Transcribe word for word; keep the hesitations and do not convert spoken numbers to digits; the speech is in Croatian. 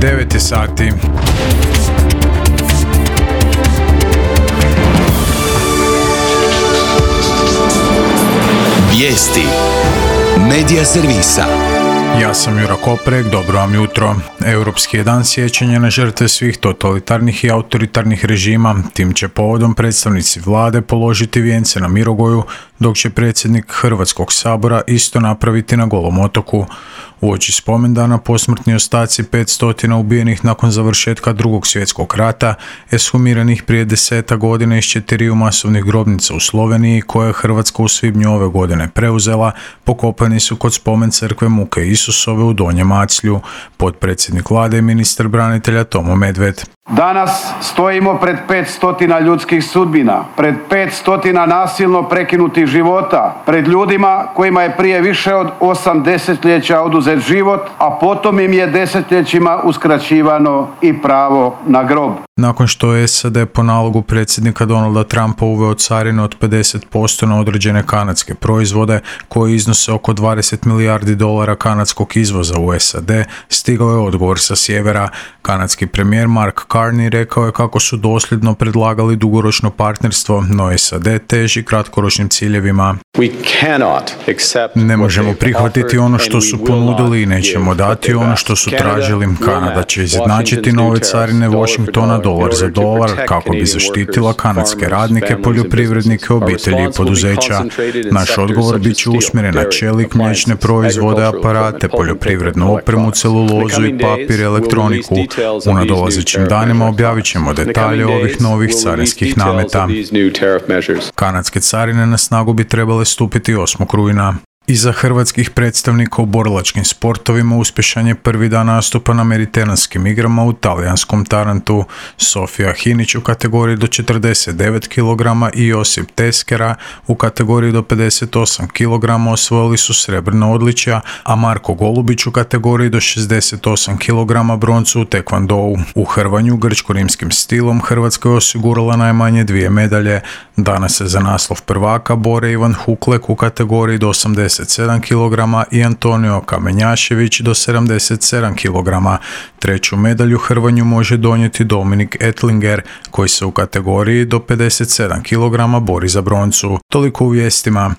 devet je sati. Vijesti Medija servisa. Ja sam Jura Koprek, dobro vam jutro. Europski je dan sjećanja na žrtve svih totalitarnih i autoritarnih režima. Tim će povodom predstavnici vlade položiti vijence na Mirogoju, dok će predsjednik Hrvatskog sabora isto napraviti na Golom otoku. Uoči spomendana posmrtni ostaci petsto ubijenih nakon završetka Drugog svjetskog rata, eshumiranih prije deseta godina iz četiriju masovnih grobnica u Sloveniji, koje je Hrvatska u svibnju ove godine preuzela, pokopani su kod spomen crkve Muke Isusove u Donjem Maclju. Potpredsjednik vlade i ministar branitelja Tomo Medved. Danas stojimo pred petstotina ljudskih sudbina, pred petstotina nasilno prekinutih života, pred ljudima kojima je prije više od osam desetljeća oduzet život, a potom im je desetljećima uskraćivano i pravo na grob. Nakon što je S A D po nalogu predsjednika Donalda Trumpa uveo carine od pedeset posto na određene kanadske proizvode koji iznose oko dvadeset milijardi dolara kanadskog izvoza u S A D, stigao je odgovor sa sjevera. Kanadski premijer Mark Carney rekao je kako su dosljedno predlagali dugoročno partnerstvo, no S A D teži kratkoročnim ciljevima. Ne možemo prihvatiti ono što su ponudili i nećemo dati ono što su tražili. Kanada će izjednačiti nove carine Washingtona dolar za dolar kako bi zaštitila kanadske radnike, poljoprivrednike, obitelji i poduzeća. Naš odgovor bit će usmjeren na čelik, mliječne proizvode, aparate, poljoprivrednu opremu, celulozu i papir, elektroniku. U nadolazećim danima objavit ćemo detalje ovih novih carinskih nameta. Kanadske carine na snagu bi trebale stupiti osmog rujna. Iza hrvatskih predstavnika u borilačkim sportovima uspješan je prvi dan nastupa na Mediteranskim igrama u talijanskom Tarantu. Sofija Hinić u kategoriji do četrdeset devet kilograma i Josip Teskera u kategoriji do pedeset osam kilograma osvojili su srebrna odličja, a Marko Golubić u kategoriji do šezdeset osam kilograma broncu u tekvandou. U hrvanju grčko-rimskim stilom Hrvatska je osigurala najmanje dvije medalje. Danas se za naslov prvaka bore Ivan Huklek u kategoriji do osamdeset sedam kilograma i Antonio Kamenjašević do sedamdeset sedam kilograma. Treću medalju hrvanju može donijeti Dominik Etlinger, koji se u kategoriji do pedeset sedam kilograma bori za broncu. Toliko u vijestima.